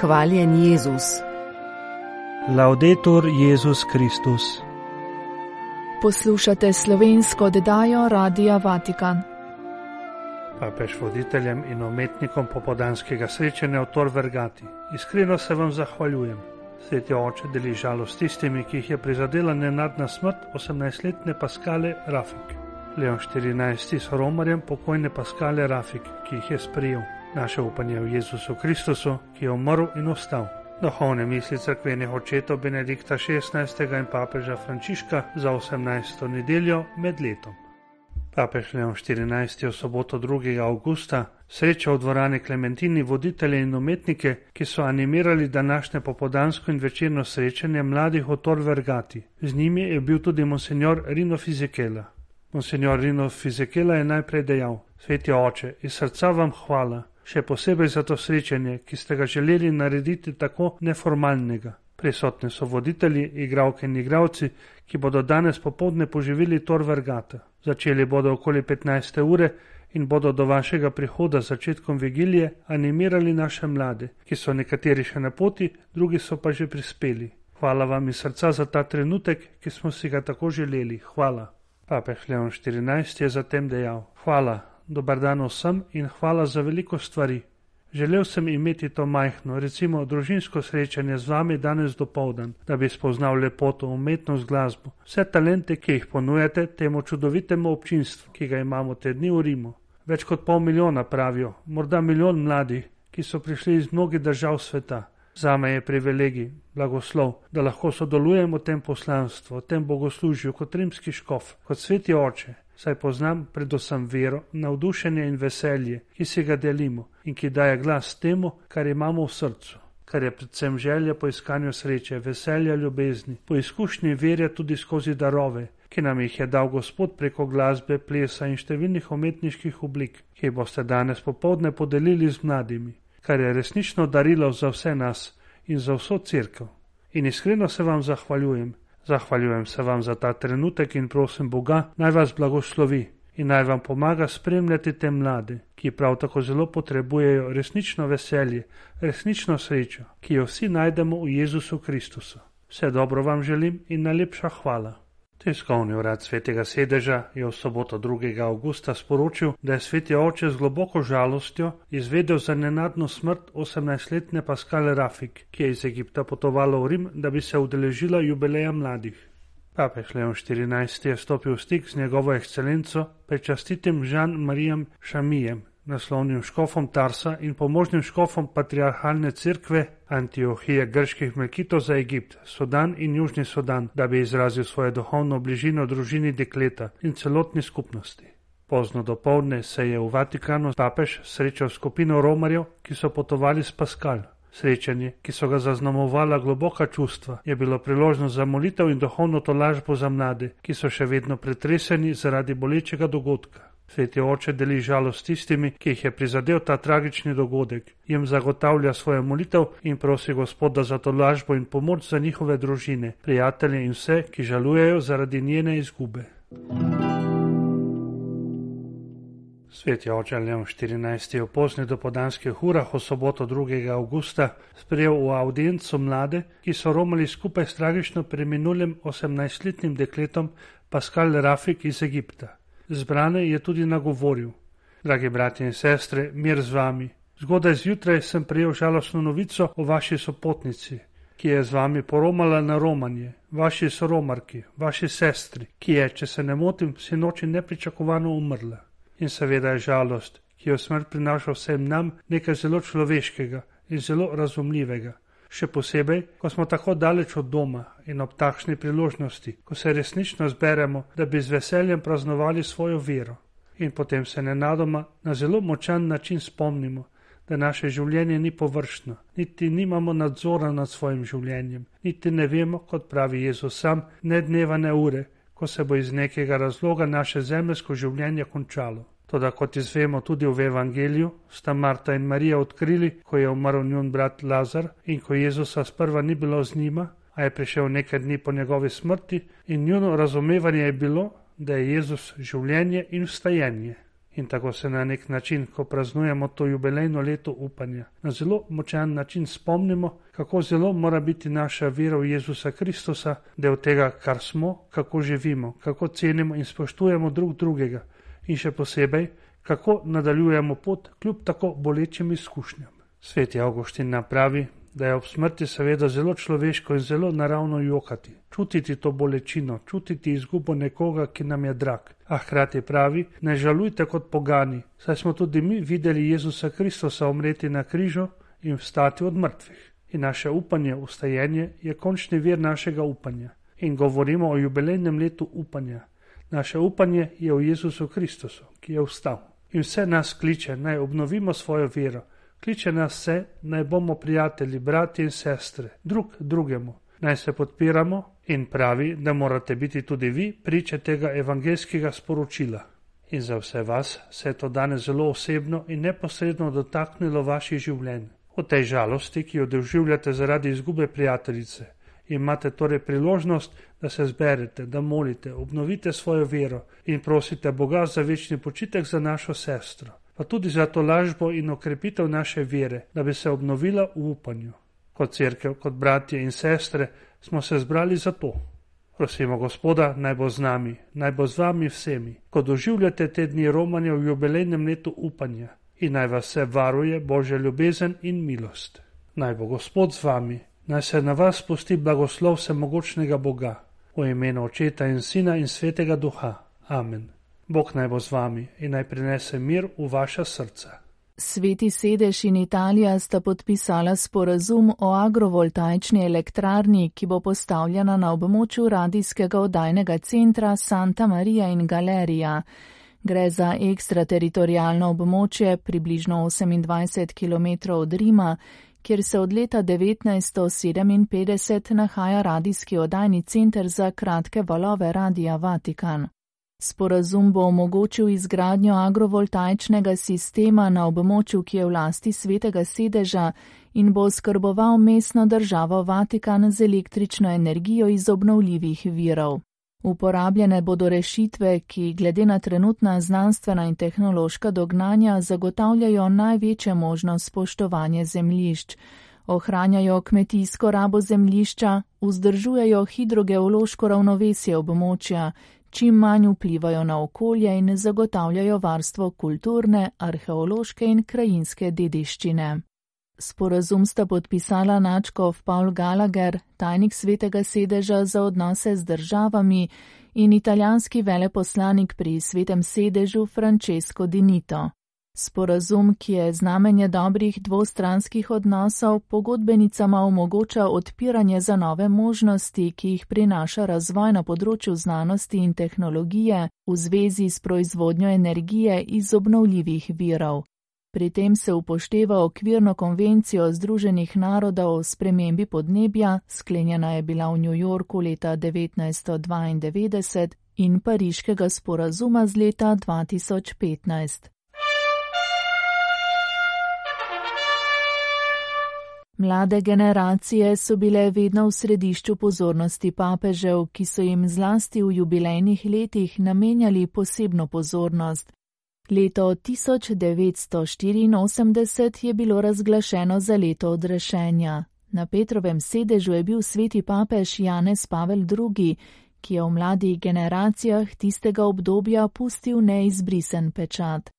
Hvaljen Jezus. Laudetur Jezus Kristus. Poslušate slovensko oddajo Radia Vatikan. Papež voditeljem in umetnikom popoldanskega srečanja v Tor Vergati. Iskreno se vam zahvaljujem. Sveti oče deli žalost tistimi, ki jih je prizadela nenadna smrt 18-letne Paskale Rafik. Leon XIV s Romarjem pokojne Paskale Rafik, ki jih je sprejel. Naše upanje v Jezusu Kristusu, ki je umrl in ostal. Duhovne misli cerkvenih očetov Benedikta XVI. In papeža Frančiška za 18. nedeljo med letom. Papež Leon XIV. V soboto 2. avgusta srečal v dvorani Klementini voditelje in umetnike, ki so animirali današnje popoldansko in večerno srečanje mladih v Tor Vergati. Z njimi je bil tudi monsignor Rino Fisichella. Monsignor Rino Fisichella je najprej dejal: Sveti oče, iz srca vam hvala, še posebej za to srečanje, ki ste ga želeli narediti tako neformalnega. Prisotni so voditelji, igralke in igralci, ki bodo danes popoldne poživili Tor Vergata. Začeli bodo okoli 15. ure in bodo do vašega prihoda začetkom vigilije animirali naše mlade, ki so nekateri še na poti, drugi so pa že prispeli. Hvala vam iz srca za ta trenutek, ki smo si ga tako želeli. Hvala. Papež Leon XIV. Je zatem dejal: Hvala, dober dan vsem in hvala za veliko stvari. Želel sem imeti to majhno, recimo družinsko srečanje z vami danes dopoldan, da bi spoznal lepoto, umetnost, glasbo, vse talente, ki jih ponujate temu čudovitemu občinstvu, ki ga imamo te dni v Rimu. Več kot 500 000 pravijo, morda 1 milijon mladih, ki so prišli iz mnogih držav sveta. Zame je privilegij, blagoslov, da lahko sodelujem v tem poslanstvu, v tem bogoslužju kot rimski škof, kot sveti oče, saj poznam predvsem vero, navdušenje in veselje, ki si ga delimo in ki daje glas temu, kar imamo v srcu, kar je predvsem želja po iskanju sreče, veselja, ljubezni, po izkušnji verja tudi skozi darove, ki nam jih je dal Gospod preko glasbe, plesa in številnih umetniških oblik, ki jih boste danes popoldne podelili z mladimi, kar je resnično darilo za vse nas in za vso cerkev. In iskreno se vam zahvaljujem. Zahvaljujem se vam za ta trenutek in prosim Boga, naj vas blagoslovi in naj vam pomaga spremljati te mlade, ki prav tako zelo potrebujejo resnično veselje, resnično srečo, ki jo vsi najdemo v Jezusu Kristusu. Vse dobro vam želim in najlepša hvala. Tiskovni urad Svetega sedeža je v soboto 2. avgusta sporočil, da je sveti oče z globoko žalostjo izvedel za nenadno smrt 18-letne Paskale Rafik, ki je iz Egipta potovala v Rim, da bi se udeležila jubileja mladih. Papež Leon XIV. Je stopil v stik z njegovo ekscelenco, prečastitim Jean-Marijem Šamijem, naslovnim škofom Tarsa in pomožnim škofom patriarhalne cerkve Antiohije grških Melkitov za Egipt, Sudan in Južni Sudan, da bi izrazil svojo duhovno bližino družini dekleta in celotni skupnosti. Pozno dopoldne se je v Vatikanu papež srečal skupino Romarjev, ki so potovali s Paskal. Srečanje, ki so ga zaznamovala globoka čustva, je bilo priložnost za molitev in duhovno tolažbo za mlade, ki so še vedno pretreseni zaradi bolečega dogodka. Sveti oče deli žalost tistimi, ki jih je prizadel ta tragični dogodek, jim zagotavlja svojo molitev in prosi Gospoda za tolažbo in pomoč za njihove družine, prijatelje in vse, ki žalujejo zaradi njene izgube. Sveti oče Leon XIV. Je v poznih dopoldanskih urah v soboto 2. avgusta sprejel v audienco mlade, ki so romali skupaj s tragično preminulim 18-letnim dekletom Paskal Rafik iz Egipta. Zbrane je tudi nagovoril: Dragi bratje in sestre, mir z vami. Zgodaj zjutraj sem prejel žalostno novico o vaši sopotnici, ki je z vami poromala na romanje, vaši soromarki, vaši sestri, ki je, če se ne motim, sinoči nepričakovano umrla. In seveda je žalost, ki jo smrt prinaša vsem nam, nekaj zelo človeškega in zelo razumljivega. Še posebej, ko smo tako daleč od doma in ob takšni priložnosti, ko se resnično zberemo, da bi z veseljem praznovali svojo vero. In potem se nenadoma na zelo močan način spomnimo, da naše življenje ni površno, niti nimamo nadzora nad svojim življenjem, niti ne vemo, kot pravi Jezus sam, ne dneva ne ure, ko se bo iz nekega razloga naše zemeljsko življenje končalo. Toda kot izvemo tudi v Evangeliju, sta Marta in Marija odkrili, ko je umrl njun brat Lazar in ko Jezusa sprva ni bilo z njima, a je prišel nekaj dni po njegovi smrti in njuno razumevanje je bilo, da je Jezus življenje in vstajenje. In tako se na nek način, ko praznujemo to jubilejno leto upanja, na zelo močan način spomnimo, kako zelo mora biti naša vera v Jezusa Kristusa del tega, kar smo, kako živimo, kako cenimo in spoštujemo drug drugega in še posebej, kako nadaljujemo pot kljub tako bolečim izkušnjam. Sveti Avguštin pravi, da je ob smrti seveda zelo človeško in zelo naravno jokati, čutiti to bolečino, čutiti izgubo nekoga, ki nam je drag. A hkrati pravi, ne žalujte kot pogani, saj smo tudi mi videli Jezusa Kristusa umreti na križu in vstati od mrtvih. In naše upanje, vstajenje, je končni vir našega upanja. In govorimo o jubilejnem letu upanja. Naše upanje je v Jezusu Kristusu, ki je vstal. In vse nas kliče, naj obnovimo svojo vero. Kliče nas vse, naj bomo prijatelji, bratje in sestre, drug drugemu. Naj se podpiramo in pravi, da morate biti tudi vi priče tega evangeljskega sporočila. In za vse vas se je to danes zelo osebno in neposredno dotaknilo vaših življenj. V tej žalosti, ki jo doživljate zaradi izgube prijateljice, imate torej priložnost, da se zberete, da molite, obnovite svojo vero in prosite Boga za večni počitek za našo sestro, pa tudi za to lažbo in okrepitev naše vere, da bi se obnovila v upanju. Kot cerkev, kot bratje in sestre smo se zbrali za to. Prosimo Gospoda, naj bo z nami, naj bo z vami vsemi, ko doživljate te dni romanja v jubilejnem letu upanja in naj vas vse varuje Božja ljubezen in milost. Naj bo Gospod z vami, naj se na vas spusti blagoslov vsemogočnega Boga, v imenu Očeta in Sina in Svetega Duha. Amen. Bog naj bo z vami in naj prinese mir v vaša srca. Sveti sedež in Italija sta podpisala sporazum o agrovoltaični elektrarni, ki bo postavljena na območju radijskega oddajnega centra Santa Maria in Galerija. Gre za ekstrateritorijalno območje približno 28 km od Rima, kjer se od leta 1957 nahaja radijski oddajni center za kratke valove Radia Vatikan. Sporazum bo omogočil izgradnjo agrovoltaičnega sistema na območju, ki je v lasti Svetega sedeža in bo oskrboval mestno državo Vatikan z električno energijo iz obnovljivih virov. Uporabljene bodo rešitve, ki glede na trenutna znanstvena in tehnološka dognanja zagotavljajo največje možno spoštovanje zemljišč, ohranjajo kmetijsko rabo zemljišča, vzdržujejo hidrogeološko ravnovesje območja, čim manj vplivajo na okolje in zagotavljajo varstvo kulturne, arheološke in krajinske dediščine. Sporazum sta podpisala nadškof Paul Gallagher, tajnik Svetega sedeža za odnose z državami, in italijanski veleposlanik pri Svetem sedežu Francesco Di Nito. Sporazum, ki je znamenje dobrih dvostranskih odnosov, pogodbenicama omogoča odpiranje za nove možnosti, ki jih prinaša razvoj na področju znanosti in tehnologije v zvezi s proizvodnjo energije iz obnovljivih virov. Pri tem se upošteva okvirno konvencijo Združenih narodov o spremembi podnebja, sklenjena je bila v New Yorku leta 1992, in Pariškega sporazuma z leta 2015. Mlade generacije so bile vedno v središču pozornosti papežev, ki so jim zlasti v jubilejnih letih namenjali posebno pozornost. Leto 1984 je bilo razglašeno za leto odrešenja. Na Petrovem sedežu je bil sveti papež Janez Pavel II, ki je v mladih generacijah tistega obdobja pustil neizbrisen pečat.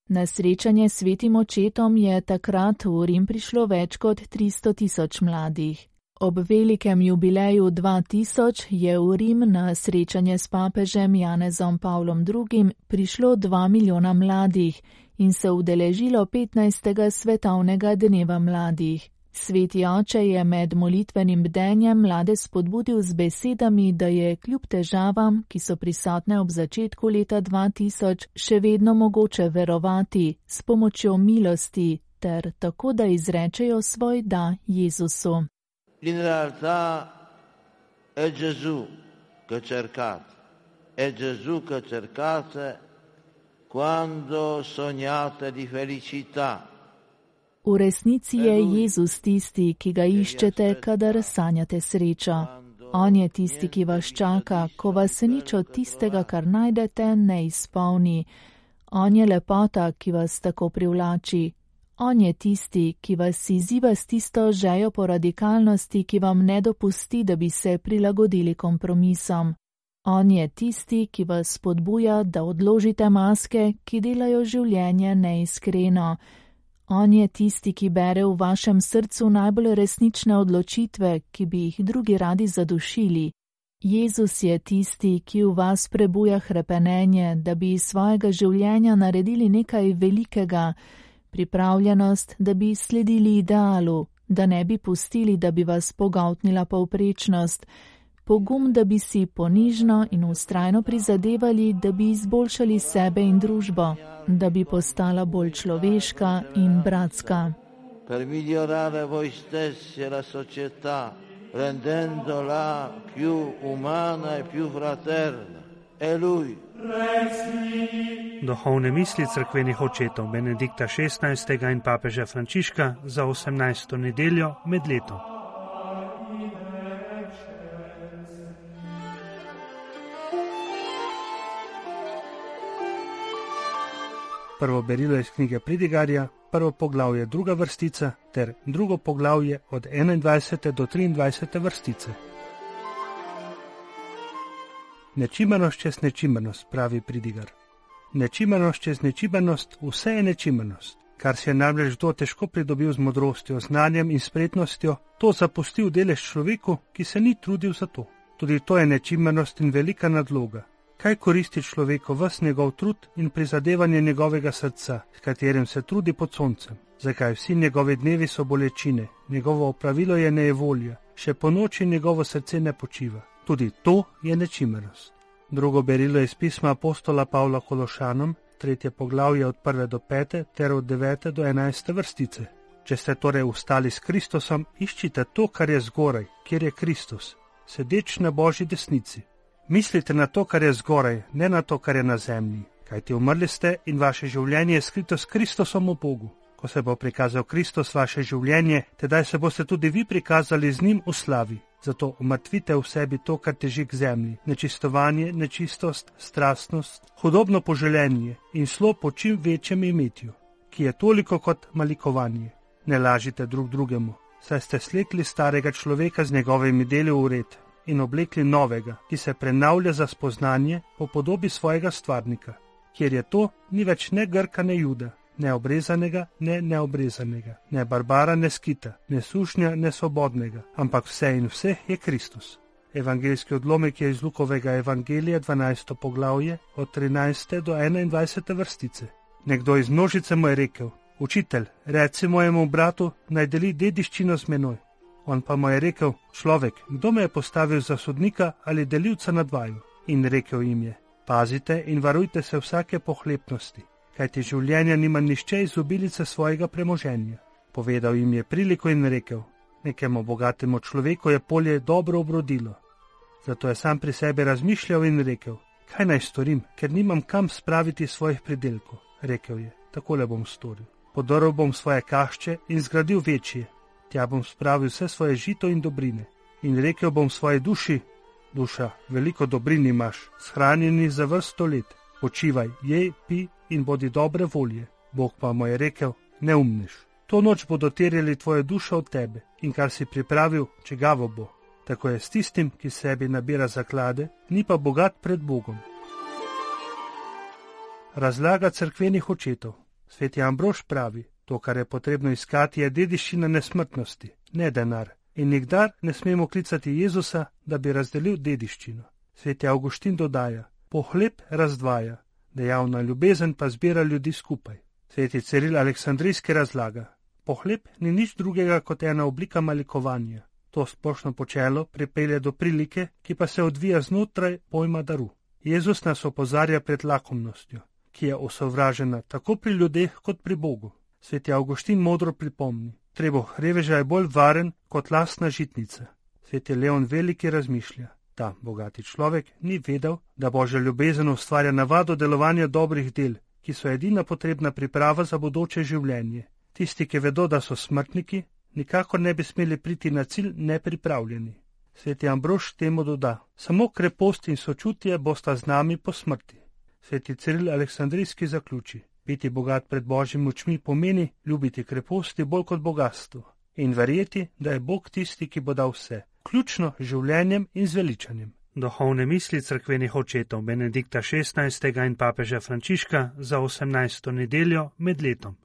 Na srečanje s svetim očetom je takrat v Rim prišlo več kot 300.000 mladih. Ob velikem jubileju 2000 je v Rim na srečanje s papežem Janezom Pavlom II prišlo 2 milijona mladih in se udeležilo 15. svetovnega dneva mladih. Sveti oče je med molitvenim bdenjem mlade spodbudil z besedami, da je kljub težavam, ki so prisotne ob začetku leta 2000, še vedno mogoče verovati s pomočjo milosti ter tako, da izrečejo svoj da Jezusu. In realtà è Gesù che cercate, è Gesù che cercate quando sognate di felicità. V resnici je Jezus tisti, ki ga iščete, kadar sanjate srečo. On je tisti, ki vas čaka, ko vas nič od tistega, kar najdete, ne izpolni. On je lepota, ki vas tako privlači. On je tisti, ki vas izziva s tisto žejo po radikalnosti, ki vam ne dopusti, da bi se prilagodili kompromisom. On je tisti, ki vas spodbuja, da odložite maske, ki delajo življenje neiskreno. On je tisti, ki bere v vašem srcu najbolj resnične odločitve, ki bi jih drugi radi zadušili. Jezus je tisti, ki v vas prebuja hrepenenje, da bi iz svojega življenja naredili nekaj velikega, pripravljenost, da bi sledili idealu, da ne bi pustili, da bi vas pogoltnila povprečnost, pogum, da bi si ponižno in vztrajno prizadevali, da bi izboljšali sebe in družbo, da bi postala bolj človeška in bratska. Per migliorare voi stessi e la società, rendendola più umana e più fraterna. È Lui. Duhovne misli cerkvenih očetov Benedikta XVI. In papeža Frančiška za 18. nedeljo med letom. Prvo berilo iz knjige Pridigarja, prvo poglavje druga vrstica ter drugo poglavje od 21. do 23. vrstice. Nečimernost čez nečimernost, pravi Pridigar. Nečimernost čez nečimernost, vse je nečimernost. Kar si je namreč kdo težko pridobil z modrostjo, znanjem in spretnostjo, to zapustil delež človeku, ki se ni trudil za to. Tudi to je nečimernost in velika nadloga. Kaj koristi človeku ves njegov trud in prizadevanje njegovega srca, s katerim se trudi pod soncem? Zakaj vsi njegovi dnevi so bolečine, njegovo opravilo je nejevolja, še po noči njegovo srce ne počiva. Tudi to je nečimernost. Drugo berilo je iz pisma apostola Pavla Kološanom, 3. poglavje od 1. do 5. ter od 9. do 11. vrstice. Če ste torej ustali s Kristusom, iščite to, kar je zgoraj, kjer je Kristus, sedeč na Božji desnici. Mislite na to, kar je zgoraj, ne na to, kar je na zemlji, kajti umrli ste in vaše življenje je skrito s Kristusom v Bogu. Ko se bo prikazal Kristus vaše življenje, tedaj se boste tudi vi prikazali z njim v slavi. Zato umrtvite v sebi to, kar teži k zemlji, nečistovanje, nečistost, strastnost, hudobno poželenje in slo po čim večjem imetju, ki je toliko kot malikovanje. Ne lažite drug drugemu, saj ste slekli starega človeka z njegovimi deli v red in oblekli novega, ki se prenavlja za spoznanje po podobi svojega stvarnika, kjer je to ni več ne Grka, ne Juda, ne obrezanega, ne neobrezanega, ne Barbara, ne Skita, ne sušnja, ne svobodnega, ampak vse in vseh je Kristus. Evangeljski odlomek je iz Lukovega evangelija 12. poglavje od 13. do 21. vrstice. Nekdo iz množice mu je rekel: Učitelj, reci mojemu bratu, naj deli dediščino z menoj. On pa mu je rekel: Človek, kdo me je postavil za sodnika ali delivca nad vaju? In rekel jim je: Pazite in varujte se vsake pohlepnosti, kajti življenja nima nišče iz obilice svojega premoženja. Povedal jim je priliko in rekel: Nekemu bogatemu človeku je polje dobro obrodilo. Zato je sam pri sebi razmišljal in rekel: Kaj naj storim, ker nimam kam spraviti svojih pridelkov? Rekel je: Takole bom storil. Podrl bom svoje kašče in zgradil večje. Tja bom spravil vse svoje žito in dobrine. In rekel bom svoji duši: Duša, veliko dobrin imaš, shranjeni za vrsto let. Počivaj, jej, pi in bodi dobre volje. Bog pa mu je rekel: Neumnež. To noč bodo terjali tvoje dušo od tebe in kar si pripravil, čigavo bo. Tako je s tistim, ki sebi nabira zaklade, ni pa bogat pred Bogom. Razlaga cerkvenih očetov. Sveti Ambrož pravi: To, kar je potrebno iskati, je dediščina nesmrtnosti, ne denar. In nikdar ne smemo klicati Jezusa, da bi razdelil dediščino. Sveti Avguštin dodaja: Pohlep razdvaja, dejavna ljubezen pa zbira ljudi skupaj. Sveti Ciril Aleksandrijski razlaga: Pohlep ni nič drugega kot ena oblika malikovanja. To splošno počelo pripelje do prilike, ki pa se odvija znotraj pojma daru. Jezus nas opozarja pred lakomnostjo, ki je osovražena tako pri ljudeh kot pri Bogu. Sveti Avguštin modro pripomni: Trebuh reveža je bolj varen kot lastna žitnica. Sveti Leon Veliki razmišlja: Ta bogati človek ni vedel, da Božja ljubezen ustvarja navado delovanja dobrih del, ki so edina potrebna priprava za bodoče življenje. Tisti, ki vedo, da so smrtniki, nikakor ne bi smeli priti na cilj nepripravljeni. Sveti Ambrož temu doda: Samo krepost in sočutje bosta z nami po smrti. Sveti Ciril Aleksandrijski zaključi: biti bogat pred Božjimi očmi pomeni ljubiti kreposti bolj kot bogatstvo in verjeti, da je Bog tisti, ki bo dal vse, vključno z življenjem in zveličanjem. Duhovne misli cerkvenih očetov Benedikta XVI. In papeža Frančiška za 18. nedeljo med letom.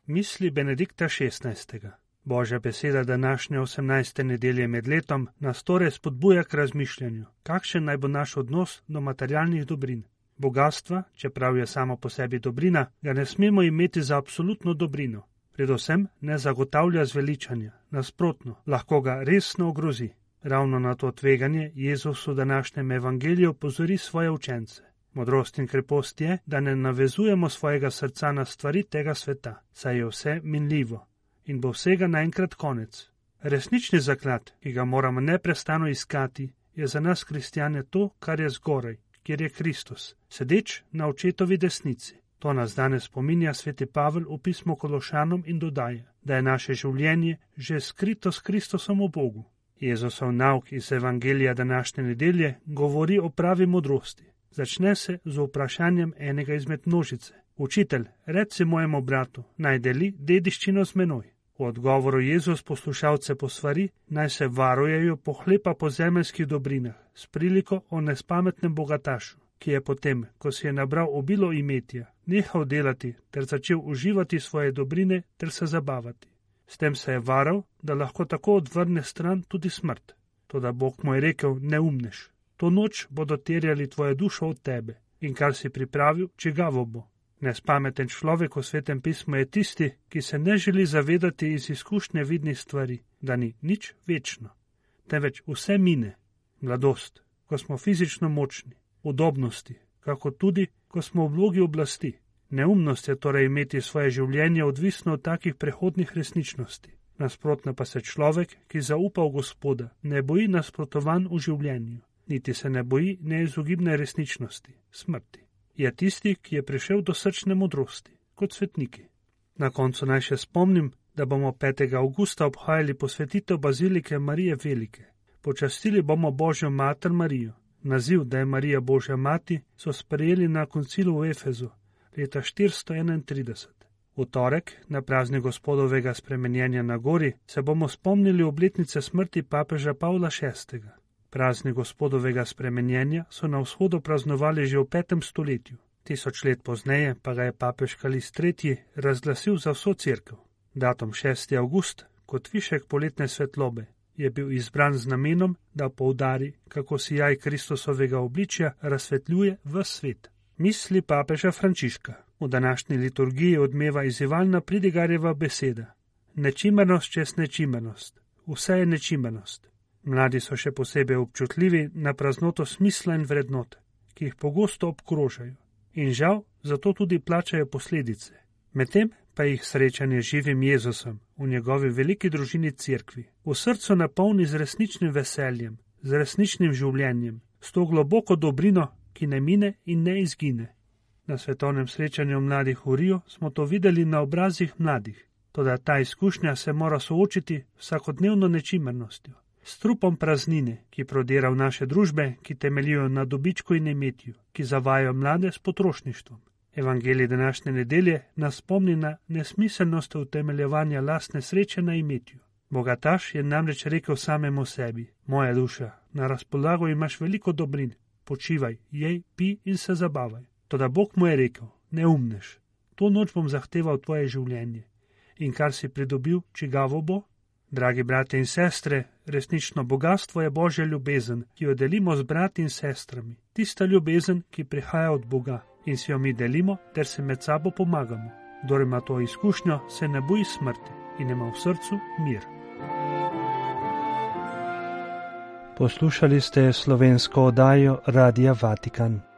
Misli Benedikta XVI. Božja beseda današnje 18. nedelje med letom nas torej spodbuja k razmišljanju, kakšen naj bo naš odnos do materialnih dobrin. Bogatstva, čeprav je samo po sebi dobrina, ga ne smemo imeti za absolutno dobrino. Predvsem ne zagotavlja zveličanja, nasprotno, lahko ga resno ogrozi. Ravno na to tveganje Jezus v današnjem evangeliju opozori svoje učence. Modrost in krepost je, da ne navezujemo svojega srca na stvari tega sveta, saj je vse minljivo in bo vsega naenkrat konec. Resnični zaklad, ki ga moramo neprestano iskati, je za nas kristjane to, kar je zgoraj, kjer je Kristus, sedeč na očetovi desnici. To nas danes spominja sveti Pavel v pismu Kološanom in dodaja, da je naše življenje že skrito s Kristusom v Bogu. Jezusov nauk iz evangelija današnje nedelje govori o pravi modrosti. Začne se z vprašanjem enega izmed množice. Učitelj, reci mojemu bratu, naj deli dediščino z menoj. V odgovoru Jezus poslušalce posvari, naj se varujejo pohlepa po zemeljskih dobrinah, s priliko o nespametnem bogatašu, ki je potem, ko si je nabral obilo imetja, nehal delati ter začel uživati svoje dobrine ter se zabavati. S tem se je varal, da lahko tako odvrne stran tudi smrt. Toda Bog mu je rekel, neumnež, to noč bodo terjali tvojo dušo od tebe in kar si pripravil, čigavo bo. Nespameten človek v Svetem pismu je tisti, ki se ne želi zavedati iz izkušnje vidnih stvari, da ni nič večno, temveč vse mine. Mladost, ko smo fizično močni, udobnosti, kako tudi, ko smo v vlogi oblasti. Neumnost je torej imeti svoje življenje odvisno od takih prehodnih resničnosti. Nasprotno pa se človek, ki zaupa v Gospoda, ne boji nasprotovanj v življenju, niti se ne boji neizogibne resničnosti, smrti. Je tisti, ki je prišel do srčne modrosti, kot svetniki. Na koncu naj še spomnim, da bomo 5. avgusta obhajali posvetitev bazilike Marije Velike. Počastili bomo Božjo mater Marijo. Naziv, da je Marija Božja mati, so sprejeli na koncilu v Efezu leta 431. V torek, na praznik Gospodovega spremenjenja na gori, se bomo spomnili obletnice smrti papeža Pavla VI. Praznik Gospodovega spremenjenja so na vzhodu praznovali že v 5. stoletju. 1000 let pozneje pa ga je papež Kalist III. Razglasil za vso cerkev. Datum 6. avgust, kot višek poletne svetlobe, je bil izbran z namenom, da poudari, kako sijaj Kristusovega obličja razsvetljuje ves svet. Misli papeža Frančiška. V današnji liturgiji odmeva izzivalna Pridigarjeva beseda. Nečimernost čez nečimernost. Vse je nečimernost. Mladi so še posebej občutljivi na praznoto smisla in vrednot, ki jih pogosto obkrožajo. In žal, zato tudi plačajo posledice. Medtem pa jih srečanje z živim Jezusom v njegovi veliki družini cerkvi v srcu napolni z resničnim veseljem, z resničnim življenjem, s to globoko dobrino, ki ne mine in ne izgine. Na svetovnem srečanju mladih v Riju smo to videli na obrazih mladih, toda ta izkušnja se mora soočiti vsakodnevno nečimernostjo, s trupom praznine, ki prodira v naše družbe, ki temeljijo na dobičku in imetju, ki zavajajo mlade s potrošništvom. Evangelij današnje nedelje nas spomni na nesmiselnost utemeljevanja lastne sreče na imetju. Bogataš je namreč rekel samemu sebi: moja duša, na razpolago imaš veliko dobrin, počivaj, jej, pi in se zabavaj. Toda Bog mu je rekel: neumnež, to noč bom zahteval tvoje življenje. In kar si pridobil, čigavo bo? Dragi bratje in sestre, resnično bogatstvo je Božja ljubezen, ki jo delimo z brati in sestrami. Tista ljubezen, ki prihaja od Boga in si jo mi delimo ter se med sabo pomagamo. Kdor ima to izkušnjo, se ne boji smrti in ima v srcu mir. Poslušali ste slovensko oddajo Radia Vatikan.